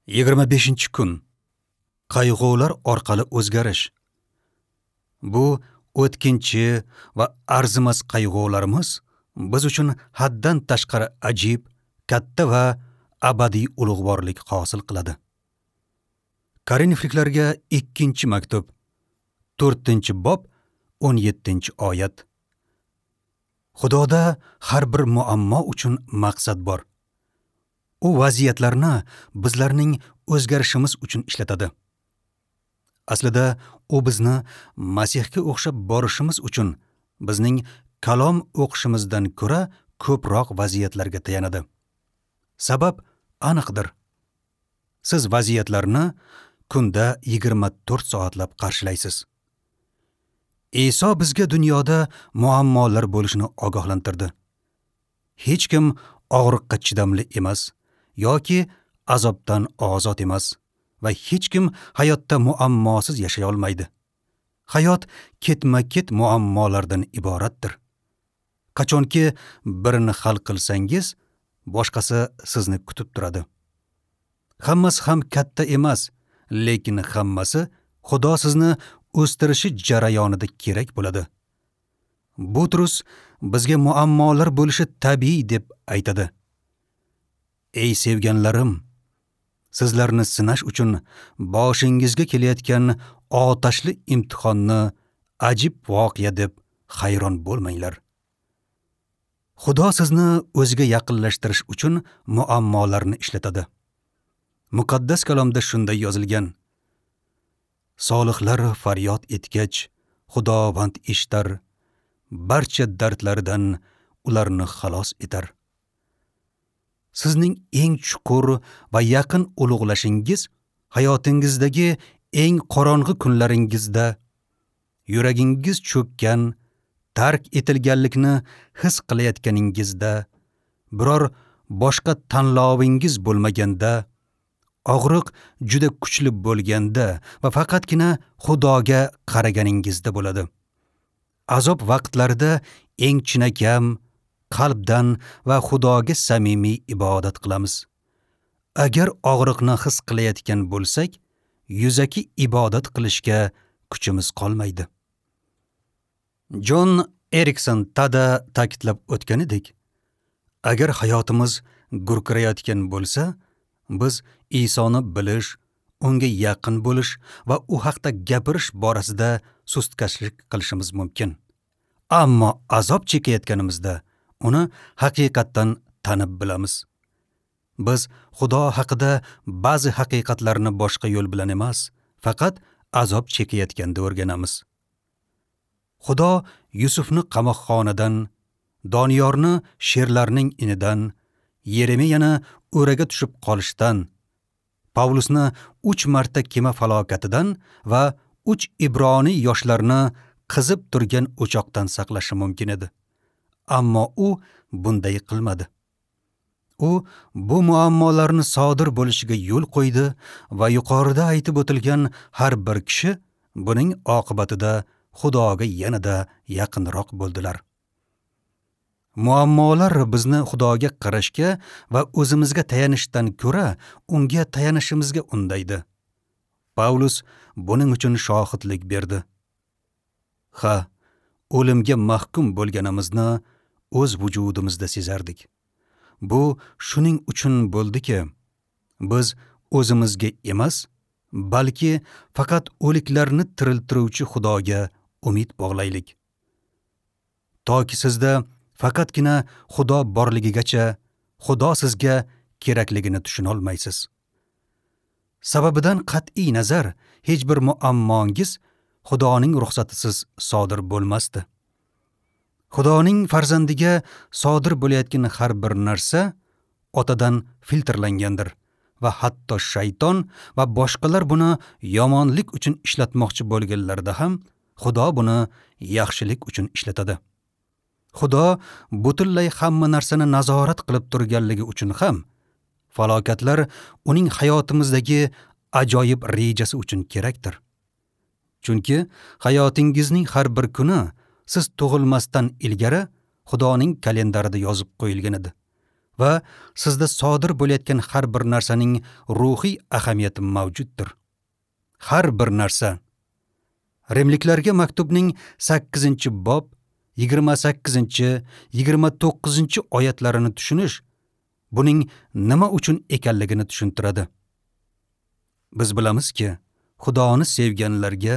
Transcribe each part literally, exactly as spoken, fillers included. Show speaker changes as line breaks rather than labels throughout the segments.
Yigirma beshinchi kun. Qayg'ular orqali o'zgarish. Bu o'tkinchi va arzimas qayg'ularimiz biz uchun haddan tashqari ajib, katta va abadiy ulug'vorlik hosil qiladi. Korinfliklarga ikkinchi maktub, to'rtinchi bob, o'n yettinchi oyat. Xudoda har bir muammo uchun maqsad bor. U vaziyatlarni bizlarning o'zgarishimiz uchun ishlatadi. Aslida u bizni Masihga o'xshab borishimiz uchun bizning kalom o'qishimizdan ko'ra ko'proq vaziyatlarga tayanadi. Sabab aniqdir. Siz vaziyatlarni kunda yigirma to'rt soatlab qarshilaysiz. Iso bizga dunyoda muammolar bo'lishini ogohlantirdi. Hech kim og'riqqa chidamli emas yoki azobdan ozod emas va hech kim hayotda muammosiz yashay olmaydi. Hayot ketma-ket muammolardan iboratdir. Qachonki birini hal qilsangiz, boshqasi sizni kutib turadi. Hammasi ham katta emas, lekin hammasi Xudo sizni o'stirishi jarayonida kerak bo'ladi. Butrus bizga muammolar bo'lishi tabiiy deb aytadi. Ey sevganlarim, sizlarni sinash uchun boshingizga kelayotgan otashli imtihonni ajib voqea deb hayron bo'lmanglar. Xudo sizni o'ziga yaqinlashtirish uchun muammolarni ishlatadi. Muqaddas kalomda shunday yozilgan: Solihlar faryod etgach, Xudovand eshitar, barcha dardlaridan ularni xalos etar. Sizning eng chuqur va yaqin ulug'lashingiz hayotingizdagi eng qorong'i kunlaringizda, yuragingiz cho'kkan, tark etilganlikni his qilayotganingizda, biror boshqa tanlovingiz bo'lmaganda, og'riq juda kuchli bo'lganda va faqatgina Xudoga qaraganingizda bo'ladi. Azob vaqtlarida eng chinakam qalbdan va Xudoga samimiy ibodat qilamiz. Agar og'riqni his qilayotgan bo'lsak, yuzaki ibodat qilishga kuchimiz qolmaydi. Jon Erikson Tada ta'kidlab o'tganidek, agar hayotimiz gurkirayotgan bo'lsa, biz Isoni bilish, unga yaqin bo'lish va u haqda gapirish borasida sustkashlik qilishimiz mumkin. Ammo azob chekayotganimizda uni haqiqatdan tanib bilamiz. Biz Xudo haqida ba'zi haqiqatlarni boshqa yo'l bilan emas, faqat azob chekayotganda o'rganamiz. Xudo Yusufni qamoqxonadan, Doniyorni sherlarning inidan, Yeremiyani o'raga tushib qolishdan, Pavlusni uch marta kema falokatidan va uch ibroniy yoshlarni qizib turgan o'choqdan saqlashi mumkin edi. Ammo u bunday qilmadi. U bu muammolarni sodir bo'lishiga yo'l qo'ydi va yuqorida aytib o'tilgan har bir kishi buning oqibatida Xudoga yanada yaqinroq bo'ldilar. Muammolar bizni Xudoga qarashga va o'zimizga tayanishdan ko'ra unga tayanishimizga undaydi. Pavlus buning uchun shohidlik berdi. Ha, o'limga mahkum bo'lganimizni o'z vujudimizda sezardik. Bu shuning uchun bo'ldiki, biz o'zimizga emas, balki faqat o'liklarni tiriltiruvchi Xudoga umid bog'laylik. Toki sizda faqatgina Xudo borligigacha Xudo sizga kerakligini tushuna olmaysiz. Sababidan qat'iy nazar hech bir muammongiz Xudoning ruxsatisiz sodir bo'lmasdi. Xudoning farzandiga sodir bo'layotgan har bir narsa otadan filtrlangandir va hatto shayton va boshqalar buni yomonlik uchun ishlatmoqchi bo'lganlarida ham Xudo buni yaxshilik uchun ishlatadi. Xudo butunlay hamma narsani nazorat qilib turganligi uchun ham falokatlar uning hayotimizdagi ajoyib rejasi uchun kerakdir. Chunki hayotingizning har bir kuni siz tug'ilmasdan ilgari Xudoning kalendarida yozib qo'yilgan edi va sizda sodir bo'layotgan har bir narsaning ruhiy ahamiyati mavjuddir. Har bir narsa. Rimliklarga maktubning sakkizinchi bob yigirma sakkizinchi yigirma to'qqizinchi oyatlarini tushunish buning nima uchun ekanligini tushuntiradi. Biz bilamizki, Xudoni sevganlarga,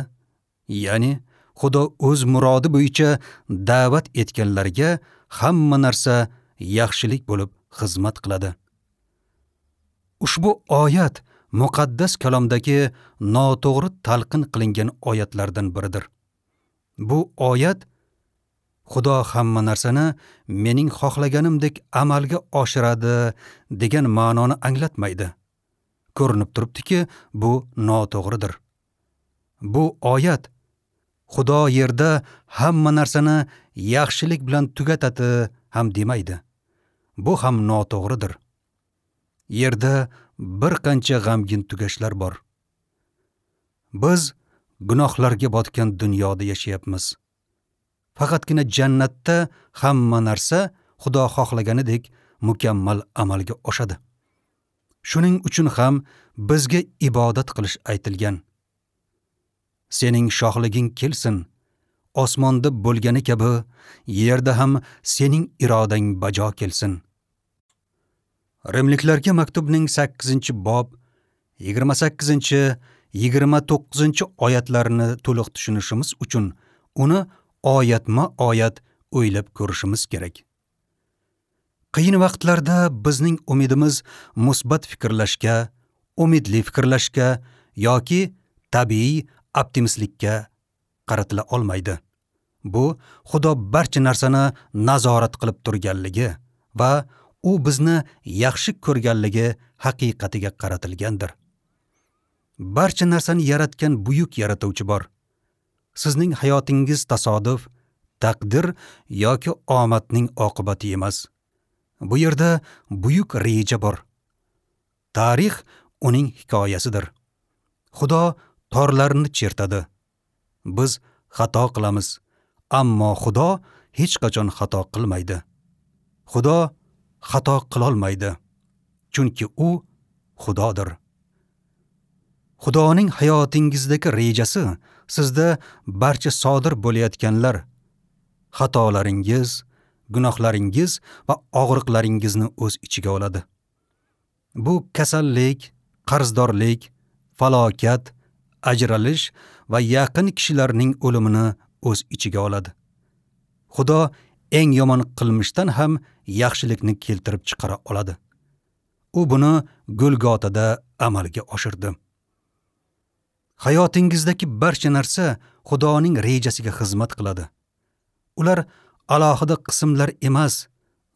ya'ni Xudo o'z murodi bo'yicha da'vat etganlarga hamma narsa yaxshilik bo'lib xizmat qiladi. Ushbu oyat muqaddas kalomdagi noto'g'ri talqin qilingan oyatlardan biridir. Bu oyat Xudo hamma narsani mening xohlaganimdek amalga oshiradi degan ma'noni anglatmaydi. Ko'rinib turibdiki, bu noto'g'ridir. Bu oyat Xudo yerda hamma narsani yaxshilik bilan tugatadi ham demaydi. Bu ham noto'g'ridir. Yerda bir qancha g'amgin tugashlar bor. Biz gunohlarga botgan dunyoda yashayapmiz. Faqatgina jannatda hamma narsa Xudo xohlaganidek mukammal amalga oshadi. Shuning uchun ham bizga ibodat qilish aytilgan. Sening shohliging kelsin, osmonda bo'lgani kabi yerda ham sening irodang bajo kelsin. Rimliklarga maktubning sakkizinchi bob yigirma sakkizinchi yigirma to'qqizinchi oyatlarini to'liq tushunishimiz uchun uni oyatma-oyat o'ylab ko'rishimiz kerak. Qiyin vaqtlarda bizning umidimiz musbat fikrlashga, umidli fikrlashga yoki tabiiy optimistlikka qaratila olmaydi. Bu Xudo barcha narsani nazorat qilib turganligi va u bizni yaxshi ko'rganligi haqiqatiga qaratilgandir. Barcha narsani yaratgan buyuk yaratuvchi bor. Sizning hayotingiz tasodif, taqdir yoki omadning oqibati emas. Bu yerda buyuk reja bor. Tarix uning hikoyasidir. Xudo torlarni chertadi. Biz xato qilamiz, ammo Xudo hech qachon xato qilmaydi. Xudo xato qilolmaydi, chunki u Xudodir. Xudoning hayotingizdagi rejasi sizda barcha sodir bo'layotganlar, xatolaringiz, gunohlaringiz va og'riqlaringizni o'z ichiga oladi. Bu kasallik, qarzdorlik, falokat, ajralish va yaqin kishilarning o'limini o'z ichiga oladi. Xudo eng yomon qilmishdan ham yaxshilikni keltirib chiqara oladi. U buni Golgotada amalga oshirdi. Hayotingizdagi barcha narsa Xudoning rejasiga xizmat qiladi. Ular alohida qismlar emas,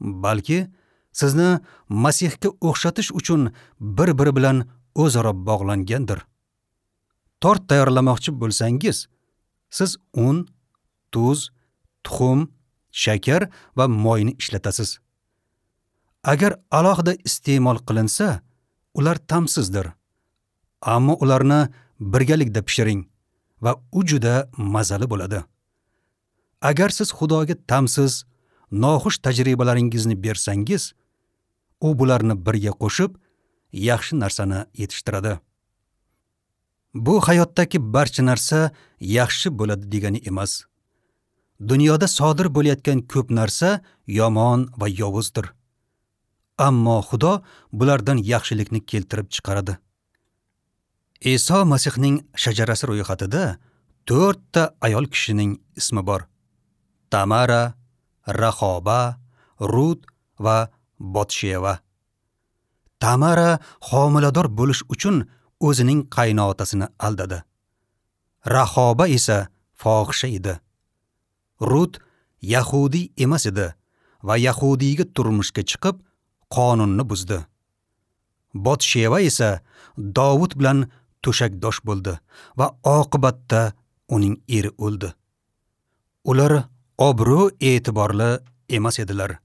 balki sizni Masihga o'xshatish uchun bir-biri bilan o'zaro bog'langandir. Tort tayyorlamoqchi bo'lsangiz, siz un, tuz, tuxum, shakar va moyni ishlatasiz. Agar alohida iste'mol qilinsa, ular ta'msizdir. Ammo ularni birgalikda pishiring va u juda mazali bo'ladi. Agar siz Xudoga ta'msiz, noxush tajribalaringizni bersangiz, u bularni birga qo'shib, yaxshi narsani yetishtiradi. Bu hayotdagi barcha narsa yaxshi bo'ladi degani emas. Dunyoda sodir bo'layotgan ko'p narsa yomon va yovuzdir. Ammo Xudo bulardan yaxshilikni keltirib chiqaradi. Iso Masihning shajarasi ro'yxatida to'rtta ayol kishining ismi bor. Tamara, Rahoba, Rut va Botsheva. Tamara homilador bo'lish uchun o'zining qaynotasini aldadi. Rahoba esa fohisha edi. Rut yahudiy emas edi va yahudiyga turmushga chiqib qonunni buzdi. Botsheva esa Dovud bilan to'shakdosh bo'ldi va oqibatda uning eri o'ldi. Ular obro' e'tiborli emas edilar.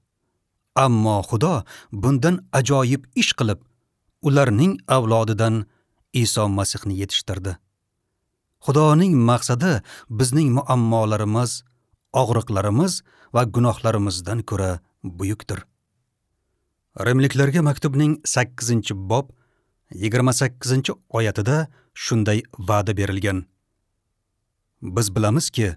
Ammo Xudo bundan ajoyib ish qilib, ularning avlodidan Iso Masihni yetishtirdi. Xudoning maqsadi bizning muammolarimiz, og'riqlarimiz va gunohlarimizdan ko'ra buyukdir. Rimliklarga maktubning sakkizinchi bob yigirma sakkizinchi oyatida shunday va'da berilgan. Biz bilamizki,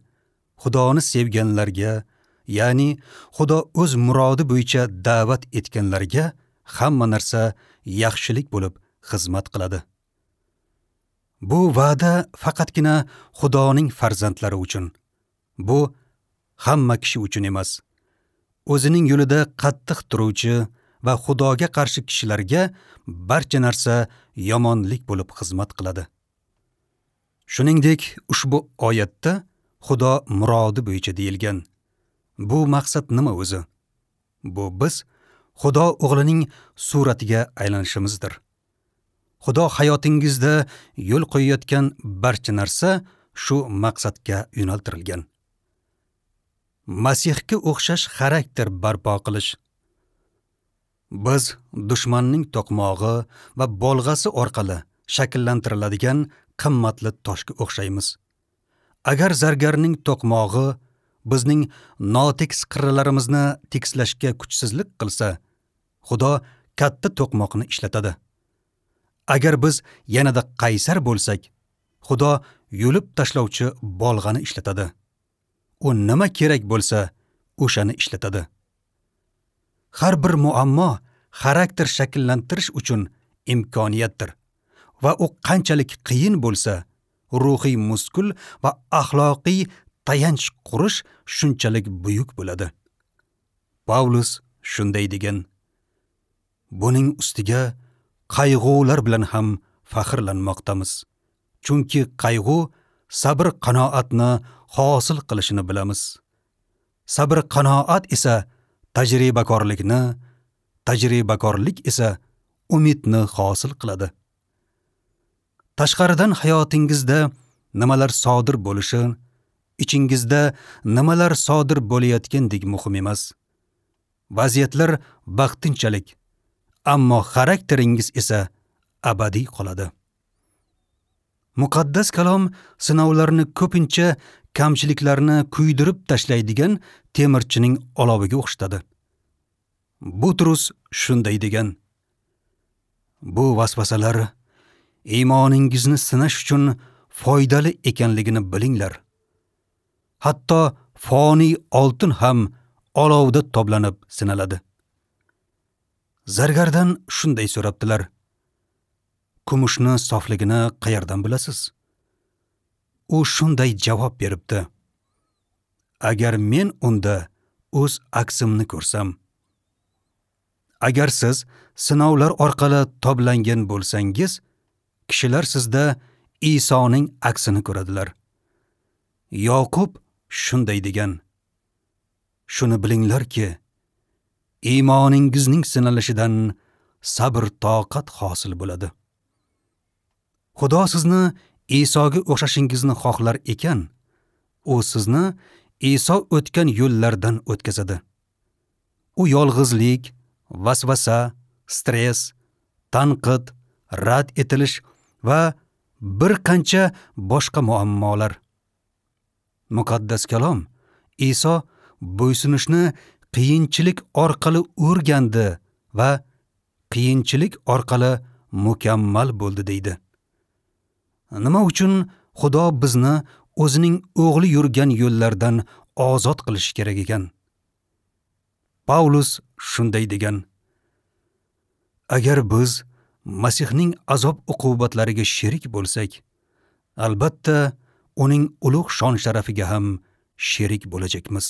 Xudoni sevganlarga, ya'ni Xudo o'z murodi bo'yicha da'vat etganlarga hamma narsa yaxshilik bo'lib xizmat qiladi. Bu va'da faqatgina Xudoning farzandlari uchun. Bu hamma kishi uchun emas. O'zining yo'lida qattiq turuvchi va Xudoga qarshi kishilarga barcha narsa yomonlik bo'lib xizmat qiladi. Shuningdek, ushbu oyatda Xudo murodi bo'yicha deyilgan. Bu maqsad nima o'zi? Bu biz Xudo o'g'lining suratiga aylanishimizdir. Xudo hayotingizda yo'l qo'yayotgan barcha narsa shu maqsadga yo'naltirilgan. Masihga o'xshash xarakter barpo qilish. Biz dushmanning to'qmog'i va bolg'asi orqali shakllantiriladigan qimmatli toshga o'xshaymiz. Agar zargarning to'qmog'i bizning notekis qirralarimizni tekislashga kuchsizlik qilsa, Xudo katta to'qmoqni ishlatadi. Agar biz yanada qaysar bo'lsak, Xudo yulib tashlovchi bolg'ani ishlatadi. U nima kerak bo'lsa, o'shani ishlatadi. Har bir muammo xarakter shakllantirish uchun imkoniyatdir va u qanchalik qiyin bo'lsa, ruhiy muskul va axloqiy tayanch qurish shunchalik buyuk bo'ladi. Pavlus shunday degan: Buning ustiga qayg'ular bilan ham faxrlanmoqdamiz. Chunki qayg'u sabr qanoatni hosil qilishini bilamiz. Sabr qanoat esa tajribakorlikni, tajribakorlik esa umidni hosil qiladi. Tashqaridan hayotingizda nimalar sodir bo'lishi, ichingizda nimalar sodir bo'layotgandek muhim emas. Vaziyatlar vaqtinchalik, ammo xarakteringiz esa abadiy qoladi. Muqaddas kalom sinovlarni ko'pincha kamchiliklarni kuydirib tashlaydigan temirchining oloviga o'xshatadi. Butrus shunday degan: Bu vasvasalar iymoningizni sinash uchun foydali ekanligini bilinglar. Hatto foniy oltin ham olovda toblanib sinaladi. Zargardan shunday so'rabdilar: Kumushni sofligini qayerdan bilasiz? U shunday javob beribdi: Agar men unda o'z aksimni ko'rsam. Agar siz sinovlar orqali toblangan bo'lsangiz, kishilar sizda Isoning aksini ko'radilar. Yoqub shunday degan: Shuni bilinglarki, iymoningizning sinalishidan sabr toqat hosil bo'ladi. Xudo sizni Isoga o'xshashingizni xohlar ekan, u sizni Iso o'tgan yo'llardan o'tkazadi. U yolg'izlik, vasvasa, stress, tanqid, rad etilish va bir qancha boshqa muammolar. Muqaddas kalom Iso bo'ysunishni qiyinchilik orqali o'rgandi va qiyinchilik orqali mukammal bo'ldi deydi. Nima uchun Xudo bizni o'zining o'g'li yurgan yo'llardan ozod qilishi kerak ekan? Paulus shunday degan: Agar biz Masihning azob uqubatlariga sherik bo'lsak, albatta uning ulug' shon sharafiga ham sherik bo'lajakmiz.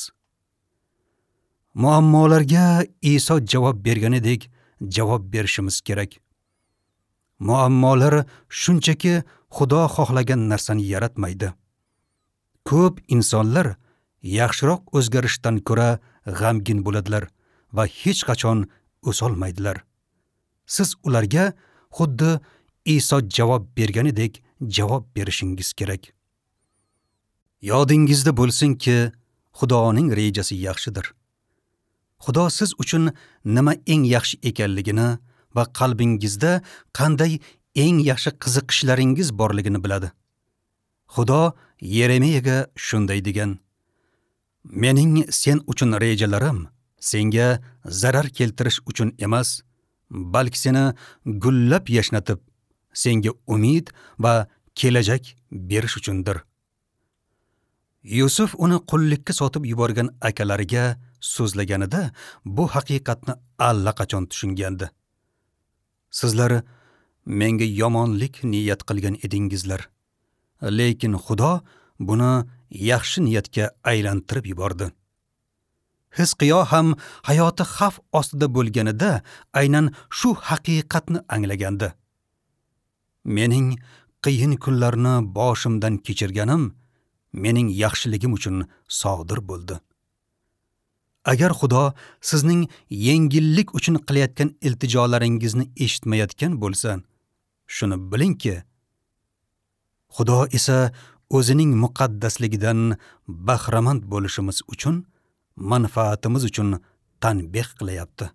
Muammolarga Iso javob berganidek javob berishimiz kerak. Muammolar shunchaki Xudo xohlagan narsani yaratmaydi. Ko'p insonlar yaxshiroq o'zgarishdan ko'ra g'amgin bo'ladilar va hech qachon o'solmaydilar. Siz ularga xuddi Iso javob berganidek javob berishingiz kerak. Yodingizda bo'lsinki, Xudoning rejasi yaxshidir. Xudo siz uchun nima eng yaxshi ekanligini va qalbingizda qanday eng yaxshi qiziqishlaringiz borligini biladi. Xudo Yeremiyaga shunday degan: Mening sen uchun rejalarim Senga zarar keltirish uchun emas, balki seni gullab yashnatib, senga umid va kelajak berish uchundir. Yusuf uni qullikka sotib yuborgan akalariga so'zlaganida bu haqiqatni allaqachon tushungandi. Sizlar menga yomonlik niyat qilgan edingizlar, lekin Xudo buni yaxshi niyatga aylantirib yubordi. Hizqiyo ham hayoti xavf ostida bo'lganida aynan shu haqiqatni anglagandi. Mening qiyin kunlarni boshimdan kechirganim mening yaxshiligim uchun sodir bo'ldi. Agar Xudo sizning yengillik uchun qilayotgan iltijolaringizni eshitmayotgan bo'lsa, shuni bilingki, Xudo esa o'zining muqaddasligidan bahramand bo'lishimiz uchun, manfaatimiz uchun tanbeh qilayapti.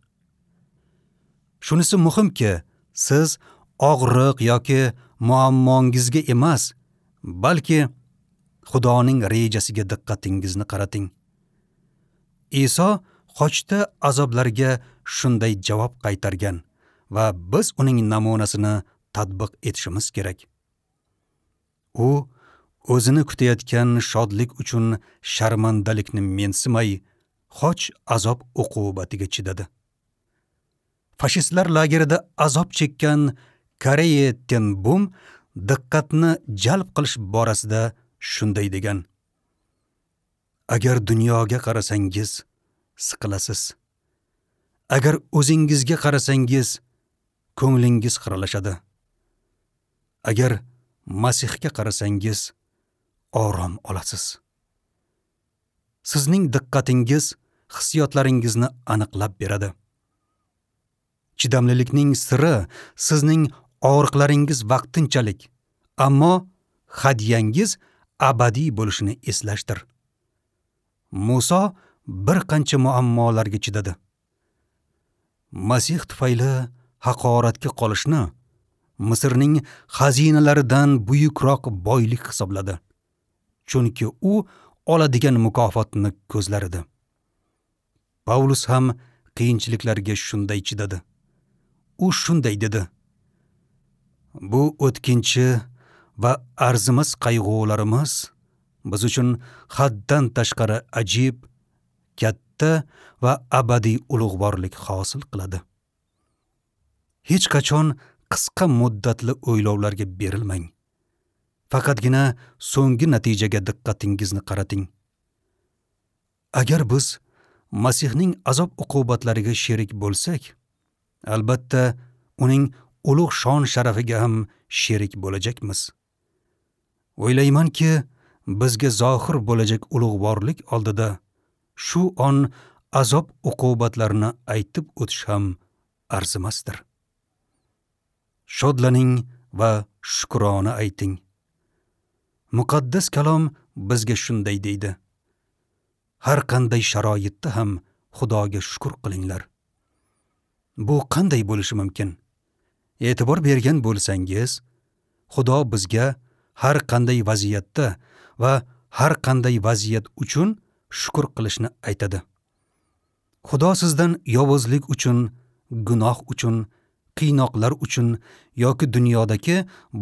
Shunisi muhimki, siz og'riq yoki muammongizga emas, balki Xudoning rejasiga diqqatingizni qarating. Iso xochda azoblarga shunday javob qaytargan va biz uning namunasini tatbiq etishimiz kerak. U o'zini kutayotgan shodlik uchun sharmandalikni mensimay, xoch azob uqubatiga chidadi. Fashistlar lagerida azob chekkan Koreya Tenbum diqqatni jalb qilish borasida shunday degan: Agar dunyoga qarasangiz, siqilasiz. Agar o'zingizga qarasangiz, ko'nglingiz xiralashadi. Agar Masihga qarasangiz, orom olasiz. Sizning diqqatingiz hissiyotlaringizni aniqlab beradi. Chidamlilikning siri sizning og'riqlaringiz vaqtinchalik, ammo hadyangiz abadiy bo'lishini eslashdir. Muso bir qancha muammolarga chidadi. Masih tufayli haqoratga qolishni Misrning xazinalaridan buyukroq boylik hisobladi. Chunki u oladigan mukofotni ko'zlar edi. Pavlus ham qiyinchiliklarga shunday chidadi. U shunday dedi: Bu o'tkinchi va arzimas qayg'ularimiz biz uchun haddan tashqari ajib, katta va abadiy ulug'vorlik hosil qiladi. Hech qachon qisqa muddatli o'ylovlarga berilmang. Faqatgina so'nggi natijaga diqqatingizni qarating. Agar biz Masihning azob uqubatlariga sherik bo'lsak, albatta uning ulug' shon sharafiga ham sherik bo'lajakmiz. O'ylaymanki, bizga zohir bo'lajak ulug'vorlik oldida shu on azob uqubatlarini aytib o'tish ham arzimasdir. Shodlaning va shukrona ayting. Muqaddas kalom bizga shunday deydi: Har qanday sharoitda ham Xudoga shukr qilinglar. Bu qanday bo'lishi mumkin? E'tibor bergan bo'lsangiz, Xudo bizga har qanday vaziyatda va har qanday vaziyat uchun shukr qilishni aytadi. Xudo sizdan yovuzlik uchun, gunoh uchun, qiynoqlar uchun yoki dunyodagi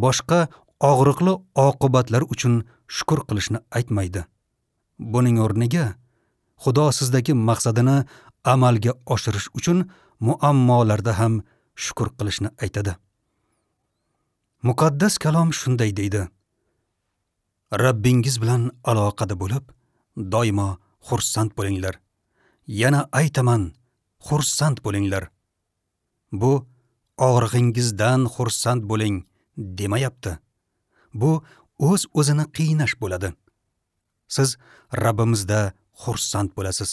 boshqa og'riqli oqibatlar uchun shukr qilishni aytmaydi. Buning o'rniga Xudo sizdagi maqsadini amalga oshirish uchun muammolarda ham shukr qilishni aytadi. Muqaddas kalom shunday deydi: Rabbingiz bilan aloqada bo'lib, doimo xursand bo'linglar. Yana aytaman, xursand bo'linglar. Bu og'rig'ingizdan xursand bo'ling demayapti. Bu o'z-o'zini qiynash bo'ladi. Siz Rabbimizda xursand bo'lasiz.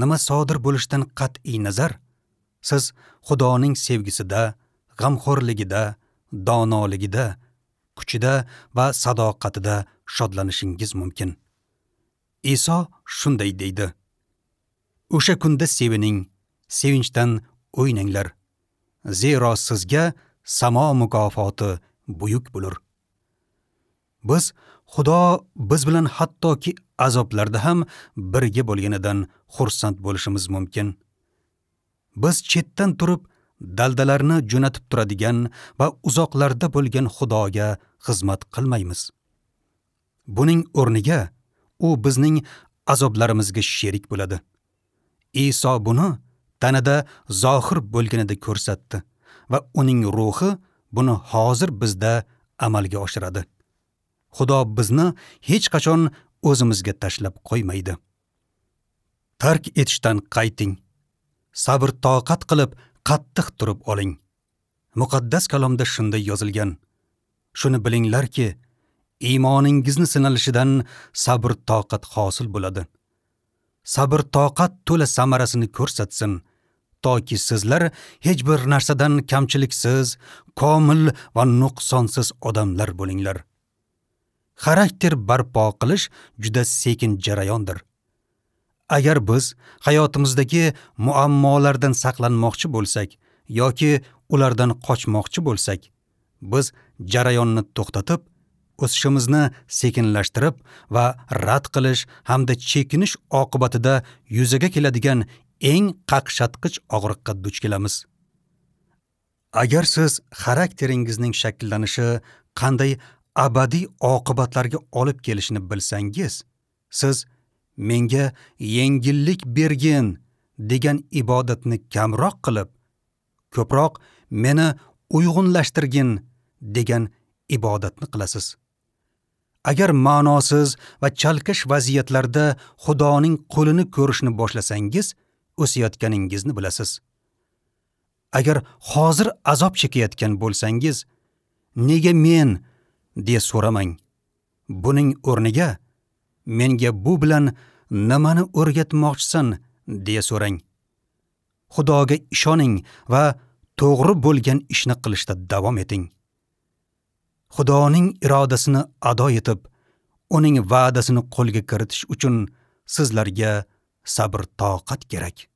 Nima sodir bo'lishidan qat'iy nazar, siz Xudoning sevgisida, g'amxo'rligida, donoligida, kuchida va sadoqatida shodlanishingiz mumkin. Iso shunday deydi: O'sha kunda sevining, sevinchdan o'ynanglar. Zero sizga samo mukofoti buyuk bo'lur. Biz Xudo biz bilan hattoki azoblarda ham birga bo'lganidan xursand bo'lishimiz mumkin. Biz chetdan turib daldalarni jo'natib turadigan va uzoqlarda bo'lgan Xudoga xizmat qilmaymiz. Buning o'rniga u bizning azoblarimizga sherik bo'ladi. Iso buni tanada zohir bo'lganida ko'rsatdi va uning ruhi buni hozir bizda amalga oshiradi. Xudo bizni hech qachon o'zimizga tashlab qo'ymaydi. Tark etishdan qayting. Sabr toqat qilib qattiq turib oling. Muqaddas kalomda shunday yozilgan: Shuni bilinglarki, iymoningizni sinalishidan sabr toqat hosil bo'ladi. Sabr toqat to'la samarasini ko'rsatsin, toki sizlar hech bir narsadan kamchiliksiz, komil va nuqsonsiz odamlar bo'linglar. Xarakter barpo qilish juda sekin jarayondir. Agar biz hayotimizdagi muammolardan saqlanmoqchi bo'lsak yoki ulardan qochmoqchi bo'lsak, biz jarayonni to'xtatib, o'sishimizni sekinlashtirib va rad qilish hamda chekinish oqibatida yuzaga keladigan eng qaqshatqich og'riqqa duch kelamiz. Agar siz xarakteringizning shakllanishi qanday abadiy oqibatlarga olib kelishini bilsangiz, siz menga yengillik bergin degan ibodatni kamroq qilib, ko'proq meni uyg'unlashtirgin degan ibodatni qilasiz. Agar ma'nosiz va chalkash vaziyatlarda Xudoning qo'lini ko'rishni boshlasangiz, o'sayotganingizni bilasiz. Agar hozir azob chekayotgan bo'lsangiz, nega men deya so'ramang. Buning o'rniga menga bu bilan nimani o'rgatmoqchisan deya so'rang. Xudoga ishoning va to'g'ri bo'lgan ishni qilishda davom eting. Xudoning irodasini ado etib, uning va'dasini qo'lga kiritish uchun sizlarga sabr toqat kerak.